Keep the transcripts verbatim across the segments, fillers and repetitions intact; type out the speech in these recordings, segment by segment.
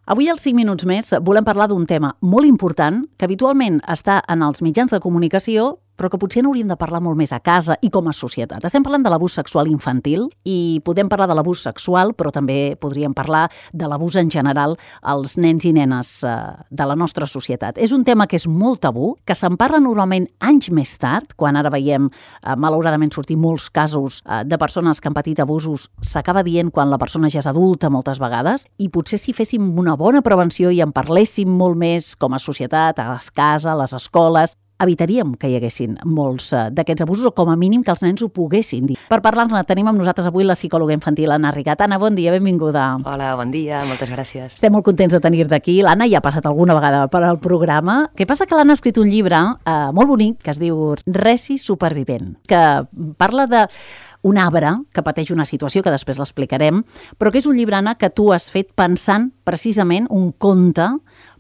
Avui, als cinc minuts més, volem parlar d'un tema molt important que habitualment està en els mitjans de comunicació, però que potser n'hauríem de parlar molt més a casa i com a societat. Estem parlant de l'abús sexual infantil i podem parlar de l'abús sexual, però també podríem parlar de l'abús en general als nens i nenes eh, de la nostra societat. És un tema que és molt tabú, que se'n parla normalment anys més tard, quan ara veiem, eh, malauradament, sortir molts casos eh, de persones que han patit abusos, s'acaba dient quan la persona ja és adulta moltes vegades, i potser si féssim una bona prevenció i en parléssim molt més com a societat, a les cases, a les escoles, evitaríem que hi haguessin molts uh, d'aquests abusos, o com a mínim que els nens ho poguessin dir. Per parlar-ne tenim amb nosaltres avui la psicòloga infantil Anna Rigat. Anna, bon dia, benvinguda. Hola, bon dia, moltes gràcies. Estem molt contents de tenir-te aquí. L'Anna ja ha passat alguna vegada per al programa. Què passa? Que l'Anna ha escrit un llibre uh, molt bonic que es diu Resi Supervivent, que parla de un arbre que pateix una situació que després l'explicarem, però que és un llibre, Anna, que tu has fet pensant precisament un conte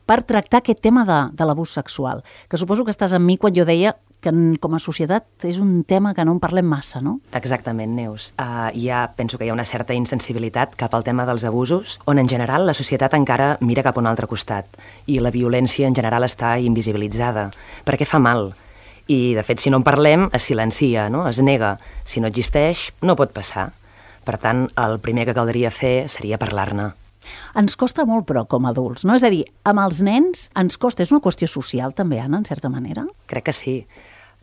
per tractar aquest tema de, de l'abús sexual, que suposo que estàs amb mi quan jo deia que com a societat és un tema que no en parlem massa, no? Exactament, Neus. Uh, ja penso que hi ha una certa insensibilitat cap al tema dels abusos, on en general la societat encara mira cap a un altre costat i la violència en general està invisibilitzada, perquè fa mal. I, de fet, si no en parlem, es silencia, no? Es nega. Si no existeix, no pot passar. Per tant, el primer que caldria fer seria parlar-ne. Ens costa molt, però, com a adults, no? És a dir, amb els nens ens costa. És una qüestió social, també, Anna, en certa manera? Crec que sí.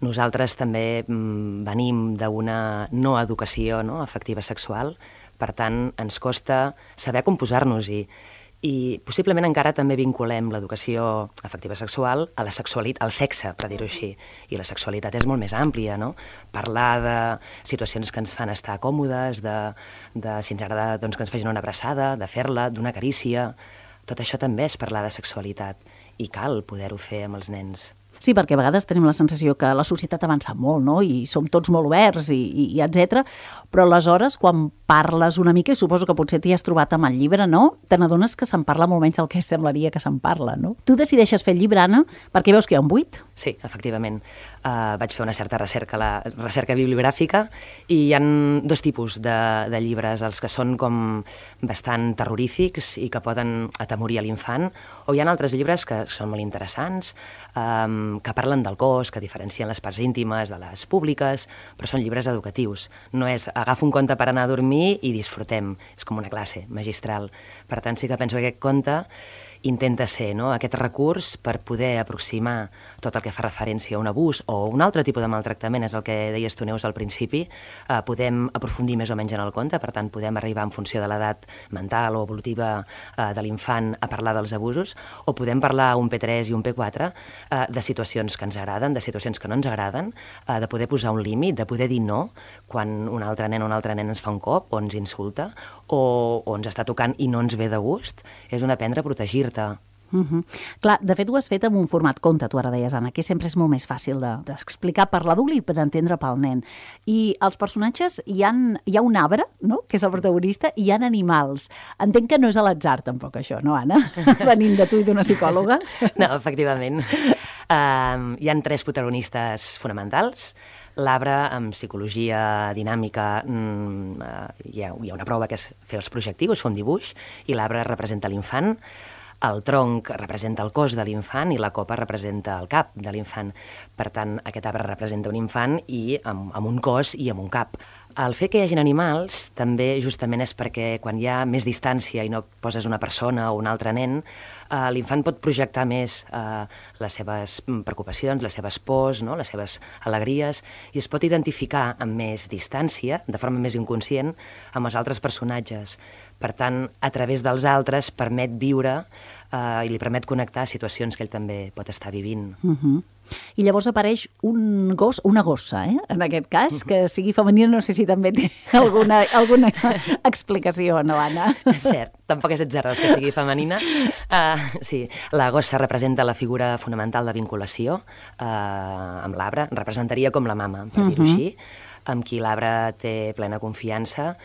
Nosaltres també mm, venim d'una no educació no, afectiva sexual, per tant, ens costa saber com posar-nos-hi. I possiblement encara també vinculem l'educació afectiva sexual a la sexualitat, al sexe, per dir-ho així. I la sexualitat és molt més àmplia, no? Parlar de situacions que ens fan estar còmodes, de, de si ens agrada doncs, que ens facin una abraçada, de fer-la, d'una carícia. Tot això també és parlar de sexualitat i cal poder-ho fer amb els nens. Sí, perquè a vegades tenim la sensació que la societat avança molt, no? I som tots molt oberts, i, i, i etcètera. Però aleshores, quan parles una mica, i suposo que potser t'hi has trobat amb el llibre, no? Te n'adones que se'n parla molt menys del que semblaria que se'n parla, no? Tu decideixes fer el llibre, Anna, perquè veus que hi ha un buit? Sí, efectivament. Uh, vaig fer una certa recerca, la recerca bibliogràfica, i hi ha dos tipus de, de llibres, els que són com bastant terrorífics i que poden atemorir a l'infant, o hi ha altres llibres que són molt interessants, um, que parlen del cos, que diferencien les parts íntimes de les públiques, però són llibres educatius. No és agafa un conte per anar a dormir i disfrutem. És com una classe magistral. Per tant, sí que penso que aquest conte intenta ser no, aquest recurs per poder aproximar tot el que fa referència a un abús o un altre tipus de maltractament, és el que deies tu, Neus, al principi. Eh, podem aprofundir més o menys en el conte, per tant, podem arribar en funció de l'edat mental o evolutiva eh, de l'infant a parlar dels abusos, o podem parlar un P tres i un P quatre eh, de situacions que ens agraden, de situacions que no ens agraden, eh, de poder posar un límit, de poder dir no quan un altre nen o un altre nen ens fa un cop o ens insulta o, o ens està tocant i no ens ve de gust. És un aprendre a protegir-te. Uh -huh. Clar, de fet ho has fet en un format conte, tu ara deies, Anna, que sempre és molt més fàcil d'explicar de, per l'adult i d'entendre pel nen. I els personatges, hi ha, hi ha un arbre, no?, que és el protagonista, i hi ha animals. Entenc que no és a l'atzar, tampoc, això, no, Anna? Venint de tu i d'una psicòloga. No, efectivament. Uh, hi ha tres protagonistes fonamentals. L'arbre, amb psicologia dinàmica, mm, uh, hi, ha, hi ha una prova que és fer els projectius, fer un dibuix, i l'arbre representa l'infant, el tronc representa el cos de l'infant i la copa representa el cap de l'infant. Per tant, aquest arbre representa un infant i amb, amb un cos i amb un cap. El fet que hi hagin animals també justament és perquè quan hi ha més distància i no poses una persona o un altre nen, eh, l'infant pot projectar més eh, les seves preocupacions, les seves pors, no? Les seves alegries, i es pot identificar amb més distància, de forma més inconscient, amb els altres personatges. Per tant, a través dels altres permet viure eh, i li permet connectar a situacions que ell també pot estar vivint. Uh-huh. I llavors apareix un gos, una gossa, eh? En aquest cas, que sigui femenina, no sé si també té alguna, alguna explicació, no, Anna? Cert, tampoc és atzarós que sigui femenina. Uh, sí, la gossa representa la figura fonamental de vinculació uh, amb l'arbre, representaria com la mama, per dir-ho així, amb qui l'arbre té plena confiança,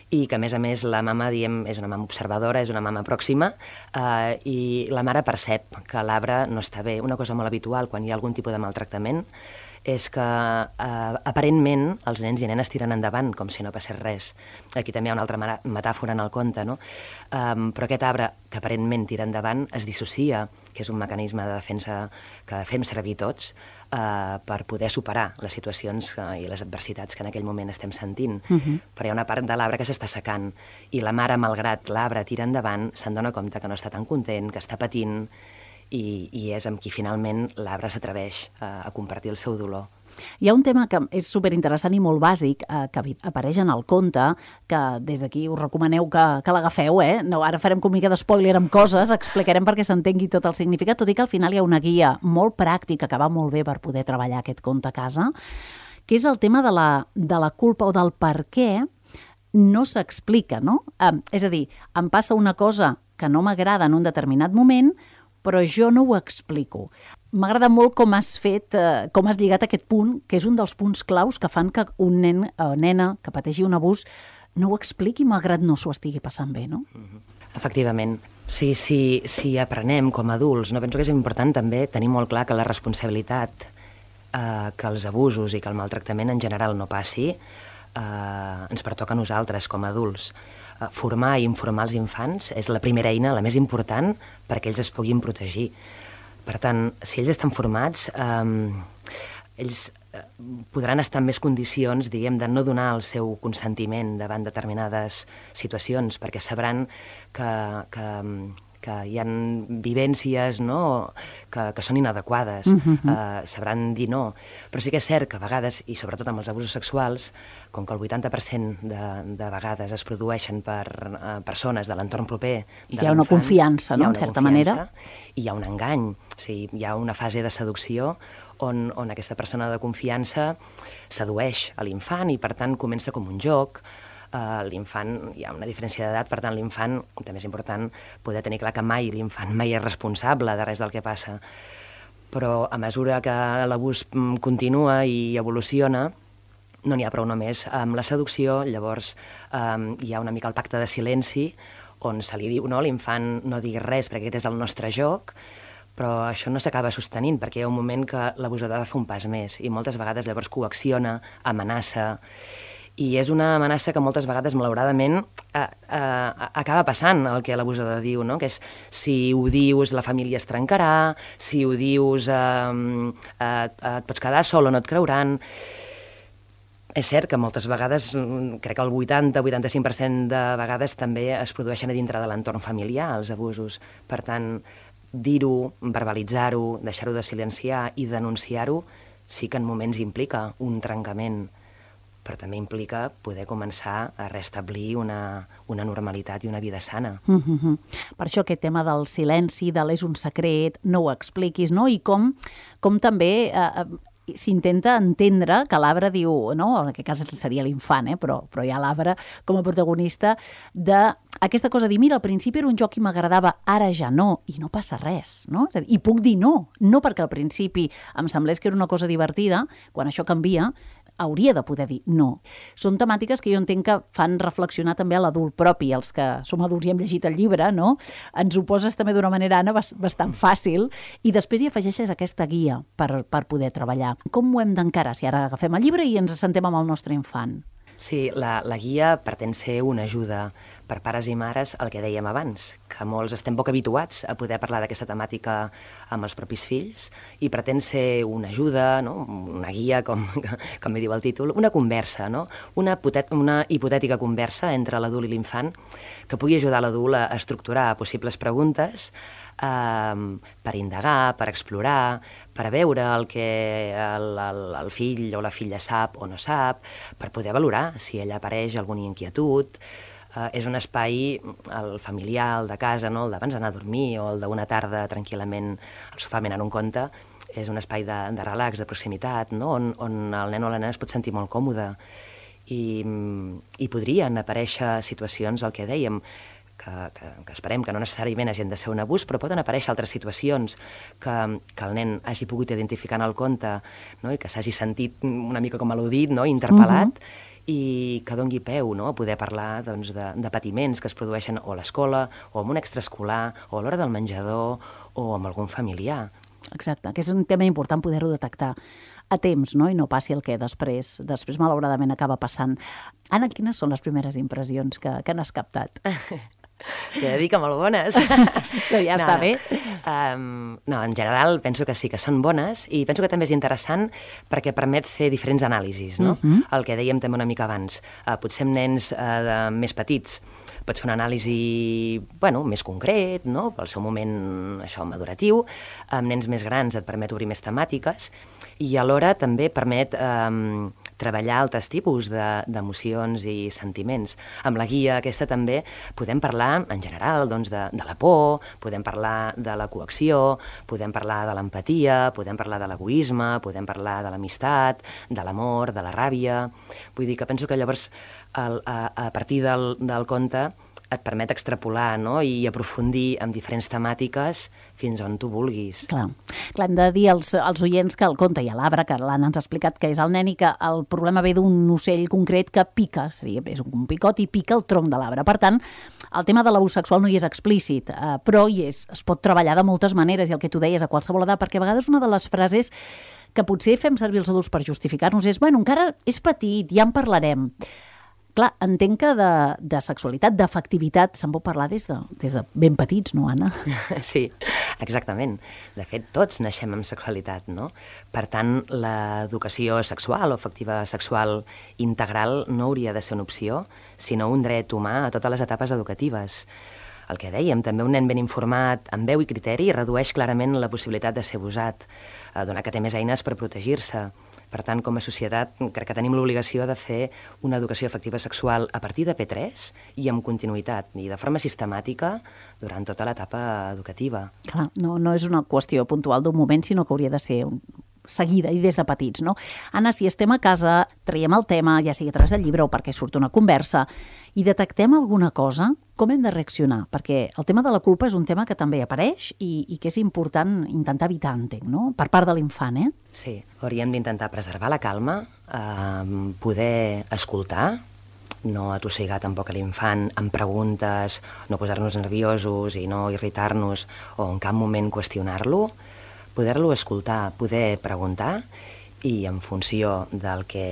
i que, a més a més, la mama, diem, és una mama observadora, és una mama pròxima, eh, i la mare percep que l'arbre no està bé. Una cosa molt habitual quan hi ha algun tipus de maltractament és que eh, aparentment els nens i nenes tiren endavant com si no passés res. Aquí també hi ha una altra metàfora en el conte, no? Um, però aquest arbre que aparentment tira endavant es dissocia, que és un mecanisme de defensa que fem servir tots uh, per poder superar les situacions uh, i les adversitats que en aquell moment estem sentint. Uh-huh. Però hi ha una part de l'arbre que s'està secant i la mare, malgrat l'arbre tira endavant, se'n dona compte que no està tan content, que està patint, i, i és amb qui finalment l'arbre s'atreveix a, a compartir el seu dolor. Hi ha un tema que és superinteressant i molt bàsic, eh, que apareix en el conte, que des d'aquí us recomaneu que, que l'agafeu, eh? No, ara farem com mica d'espoiler amb coses, explicarem perquè s'entengui tot el significat, tot i que al final hi ha una guia molt pràctica que va molt bé per poder treballar aquest conte a casa, que és el tema de la, de la culpa o del per què no s'explica, no? Eh, és a dir, em passa una cosa que no m'agrada en un determinat moment, però jo no ho explico. M'agrada molt com has fet, eh, com has lligat aquest punt, que és un dels punts claus que fan que un nen o eh, nena que pateixi un abús no ho expliqui malgrat no s'ho estigui passant bé, no? Efectivament. Sí, sí, si aprenem com a adults, no penso que és important també tenir molt clar que la responsabilitat eh, que els abusos i que el maltractament en general no passi eh, ens pertoca a nosaltres com a adults. Formar i informar els infants és la primera eina, la més important, perquè ells es puguin protegir. Per tant, si ells estan formats, eh, ells podran estar en més condicions, diguem, de no donar el seu consentiment davant determinades situacions, perquè sabran que, que, que hi ha vivències, no?, que, que són inadequades, uh-huh. eh, sabran dir no. Però sí que és cert que a vegades, i sobretot amb els abusos sexuals, com que el vuitanta per cent de, de vegades es produeixen per eh, persones de l'entorn proper de hi ha una confiança, no?, en certa manera. I hi ha un engany, o sigui, hi ha una fase de seducció on, on aquesta persona de confiança sedueix a l'infant i, per tant, comença com un joc. Uh, l'infant, hi ha una diferència d'edat, per tant l'infant, també és important poder tenir clar que mai l'infant mai és responsable de res del que passa, però a mesura que l'abús continua i evoluciona no n'hi ha prou només amb la seducció. Llavors um, hi ha una mica el pacte de silenci on se li diu, no, l'infant no diguis res perquè aquest és el nostre joc, però això no s'acaba sostenint perquè hi ha un moment que l'abusador ha de fer un pas més i moltes vegades llavors coacciona, amenaça. I és una amenaça que moltes vegades, malauradament, eh, eh, acaba passant el que l'abusador diu, no? Que és, si ho dius, la família es trencarà, si ho dius, eh, eh, et pots quedar sol o no et creuran. És cert que moltes vegades, crec que el vuitanta a vuitanta-cinc per cent de vegades també es produeixen a dintre de l'entorn familiar, els abusos. Per tant, dir-ho, verbalitzar-ho, deixar-ho de silenciar i denunciar-ho, sí que en moments implica un trencament, però també implica poder començar a restablir una, una normalitat i una vida sana. Uh-huh. Per això aquest tema del silenci, de l'és un secret, no ho expliquis, no? I com, com també eh, s'intenta entendre que l'arbre diu, no? En aquest cas seria l'infant, eh? però, però hi ha l'arbre com a protagonista d'aquesta cosa de dir, mira, al principi era un joc i m'agradava, ara ja no, i no passa res, no? És a dir, i puc dir no, no perquè al principi em semblés que era una cosa divertida, quan això canvia, hauria de poder dir no. Són temàtiques que jo entenc que fan reflexionar també a l'adult propi, els que som adults i hem llegit el llibre, no? Ens ho poses també d'una manera, Anna, bastant fàcil, i després hi afegeixes aquesta guia per, per poder treballar. Com ho hem d'encarar si ara agafem el llibre i ens assentem amb el nostre infant? Sí, la, la guia pretén ser una ajuda per pares i mares, el que dèiem abans, que molts estem poc habituats a poder parlar d'aquesta temàtica amb els propis fills, i pretén ser una ajuda, no? Una guia, com, com diu el títol, una conversa, no? una, potet, una hipotètica conversa entre l'adult i l'infant que pugui ajudar l'adult a estructurar possibles preguntes, Um, per indagar, per explorar, per veure el que el, el, el fill o la filla sap o no sap, per poder valorar si ella apareix alguna inquietud. Uh, és un espai, el familiar, el de casa, no? El d'abans d'anar a dormir o el d'una tarda tranquil·lament al sofà menant un conte, és un espai de, de relax, de proximitat, no? on, on el nen o la nena es pot sentir molt còmode. I, i podrien aparèixer situacions, el que dèiem, Que, que, que esperem que no necessàriament hagin de ser un abús, però poden aparèixer altres situacions que, que el nen hagi pogut identificar en el conte, no? I que s'hagi sentit una mica com al·ludit, no? Interpel·lat, uh-huh. i que dongui peu, no? A poder parlar, doncs, de, de patiments que es produeixen o a l'escola, o en un extraescolar, o a l'hora del menjador, o amb algun familiar. Exacte, que és un tema important poder-ho detectar a temps, no? I no passi el que després, després malauradament acaba passant. Anna, quines són les primeres impressions que, que n'has captat? T'he de dir que molt bones. Però ja no, està bé. Um, no, en general penso que sí, que són bones, i penso que també és interessant perquè permet fer diferents anàlisis, no? Uh-huh. El que dèiem també una mica abans. Uh, potser amb nens uh, de, més petits pots fer una anàlisi, bueno, més concret, no? Pel seu moment, això, maduratiu. Amb nens més grans et permet obrir més temàtiques i alhora també permet um, treballar altres tipus d'emocions de, i sentiments. Amb la guia aquesta també podem parlar, en general, doncs, de, de la por, podem parlar de la coacció, podem parlar de l'empatia, podem parlar de l'egoisme, podem parlar de l'amistat, de l'amor, de la ràbia. Vull dir que penso que llavors, el, a, a partir del, del conte, et permet extrapolar, no? I aprofundir en diferents temàtiques fins on tu vulguis. Clar, Clar hem de dir als, als oients que el conte i a l'arbre, que l'Anna ens ha explicat que és el nen i que el problema ve d'un ocell concret que pica, seria, és un picot i pica el tronc de l'arbre. Per tant, el tema de l'abús sexual no hi és explícit, eh, però hi és, es pot treballar de moltes maneres, i el que tu deies a qualsevol edat, perquè a vegades una de les frases que potser fem servir els adults per justificar-nos és, bueno, encara és petit, ja en parlarem. Clar, entenc que de, de sexualitat, d'afectivitat, se'n pot parlar des de, des de ben petits, no, Anna? Sí, exactament. De fet, tots naixem amb sexualitat, no? Per tant, l'educació sexual o afectiva sexual integral no hauria de ser una opció, sinó un dret humà a totes les etapes educatives. El que dèiem, també un nen ben informat, amb veu i criteri, redueix clarament la possibilitat de ser abusat, eh, donat que té més eines per protegir-se. Per tant, com a societat, crec que tenim l'obligació de fer una educació afectiva sexual a partir de P tres i amb continuïtat, i de forma sistemàtica durant tota l'etapa educativa. Clar, no, no és una qüestió puntual d'un moment, sinó que hauria de ser un... seguida i des de petits, no? Anna, si estem a casa, traiem el tema, ja sigui a través del llibre o perquè surt una conversa, i detectem alguna cosa, com hem de reaccionar? Perquè el tema de la culpa és un tema que també apareix i, i que és important intentar evitar, entenc, no? Per part de l'infant, eh? Sí, hauríem d'intentar preservar la calma, eh, poder escoltar, no atossigar tampoc a l'infant amb preguntes, no posar-nos nerviosos i no irritar-nos o en cap moment qüestionar-lo, poder-lo escoltar, poder preguntar i en funció del que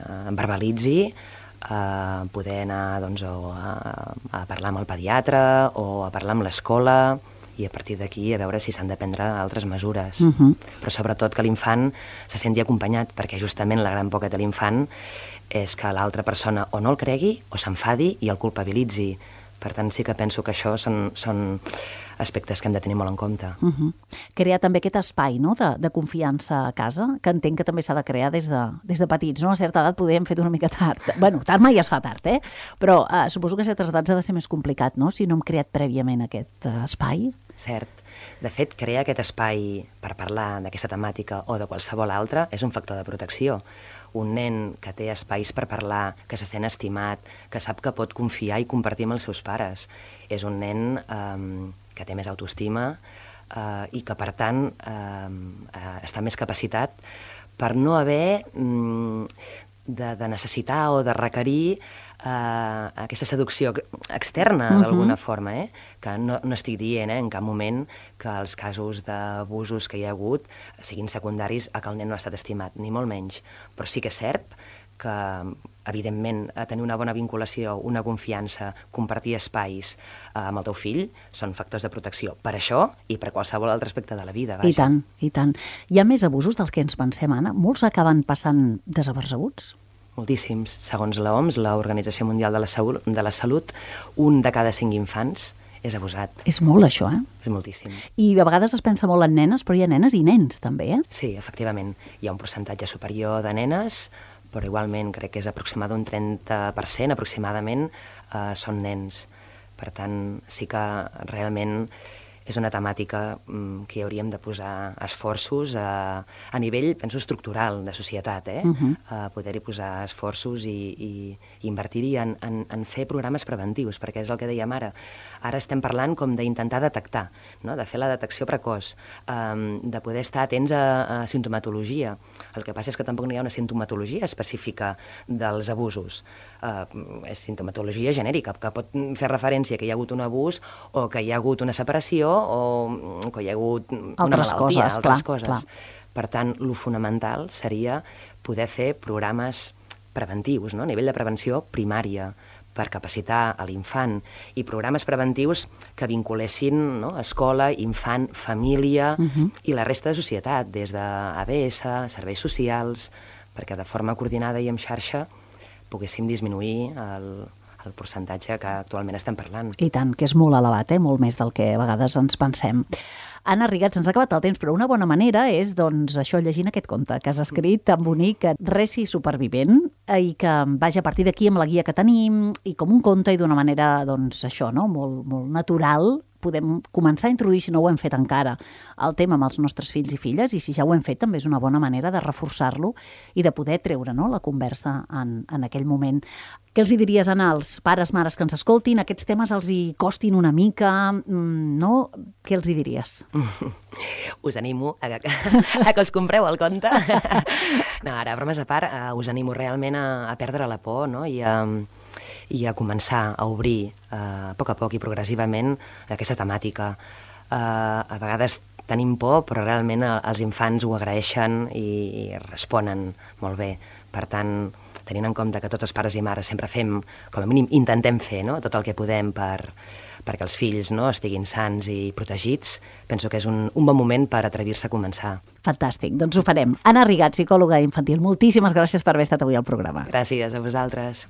em verbalitzi eh, poder anar doncs, a, a parlar amb el pediatre o a parlar amb l'escola i a partir d'aquí a veure si s'han de prendre altres mesures. Uh-huh. Però sobretot que l'infant se senti acompanyat, perquè justament la gran por que té l'infant és que l'altra persona o no el cregui o s'enfadi i el culpabilitzi. Per tant, sí que penso que això són, són aspectes que hem de tenir molt en compte. Uh-huh. Crear també aquest espai, no?, de, de confiança a casa, que entenc que també s'ha de crear des de, des de petits, no? A certa edat poder hem fet una mica tard. Bueno, tard mai es fa tard, eh? Però eh, suposo que a certes edats ha de ser més complicat, no?, si no hem creat prèviament aquest uh, espai. Cert. De fet, crear aquest espai per parlar d'aquesta temàtica o de qualsevol altra és un factor de protecció. Un nen que té espais per parlar, que se sent estimat, que sap que pot confiar i compartir amb els seus pares, és un nen eh, que té més autoestima eh, i que, per tant, eh, eh, està més capacitat per no haver mm, de, de necessitar o de requerir Uh, aquesta seducció externa, uh-huh, d'alguna forma, eh? Que no, no estic dient eh, en cap moment que els casos d'abusos que hi ha hagut siguin secundaris a que el nen no ha estat estimat, ni molt menys. Però sí que és cert que, evidentment, a tenir una bona vinculació, una confiança, compartir espais uh, amb el teu fill són factors de protecció per això i per qualsevol altre aspecte de la vida. Vaja. I tant, i tant. Hi ha més abusos dels que ens pensem, Anna? Molts acaben passant desapercebuts? Moltíssims. Segons l'O M S, l'Organització Mundial de la, Salut, de la Salut, un de cada cinc infants és abusat. És molt, això, eh? És moltíssim. I a vegades es pensa molt en nenes, però hi ha nenes i nens, també, eh? Sí, efectivament. Hi ha un percentatge superior de nenes, però igualment crec que és aproximadament un trenta per cent, aproximadament, eh, són nens. Per tant, sí que realment és una temàtica mm, que hi hauríem de posar esforços a, a nivell, penso, estructural de societat, eh? Uh-huh. A poder-hi posar esforços i, i, i invertir-hi en, en, en fer programes preventius, perquè és el que dèiem ara. Ara estem parlant com d'intentar detectar, no? De fer la detecció precoç, um, de poder estar atents a, a sintomatologia. El que passa és que tampoc no hi ha una sintomatologia específica dels abusos. Uh, és sintomatologia genèrica, que pot fer referència que hi ha hagut un abús o que hi ha hagut una separació o que hi ha hagut una altres malaltia, coses, altres clar, coses. Clar. Per tant, lo fonamental seria poder fer programes preventius, no? A nivell de prevenció primària, per capacitar a l'infant, i programes preventius que vinculessin, no? Escola, infant, família uh-huh. i la resta de societat, des d'A B S, serveis socials, perquè de forma coordinada i en xarxa poguéssim disminuir el, el percentatge que actualment estem parlant. I tant, que és molt elevat, eh? Molt més del que a vegades ens pensem. Anna Rigats, ens ha acabat el temps, però una bona manera és, doncs, això, llegint aquest conte que has escrit tan bonic, Reci supervivent, i que vaja a partir d'aquí amb la guia que tenim, i com un conte i d'una manera, doncs, això, no?, molt, molt natural, podem començar a introduir, si no ho hem fet encara, el tema amb els nostres fills i filles, i si ja ho hem fet també és una bona manera de reforçar-lo i de poder treure, no?, la conversa en, en aquell moment. Què els hi diries, Anna, als pares, mares que ens escoltin? Aquests temes els hi costin una mica, no? Què els hi diries? Us animo a que, a que us compreu el conte. No, ara, bromes a part, uh, us animo realment a, a perdre la por, no?, i a, i a començar a obrir uh, a poc a poc i progressivament aquesta temàtica. Uh, a vegades tenim por, però realment els infants ho agraeixen i, i responen molt bé. Per tant, tenint en compte que tots els pares i mares sempre fem, com a mínim intentem fer, no?, tot el que podem per, perquè els fills, no?, estiguin sans i protegits, penso que és un, un bon moment per atrevir-se a començar. Fantàstic, doncs ho farem. Anna Rigats, psicòloga infantil, moltíssimes gràcies per haver estat avui al programa. Gràcies a vosaltres.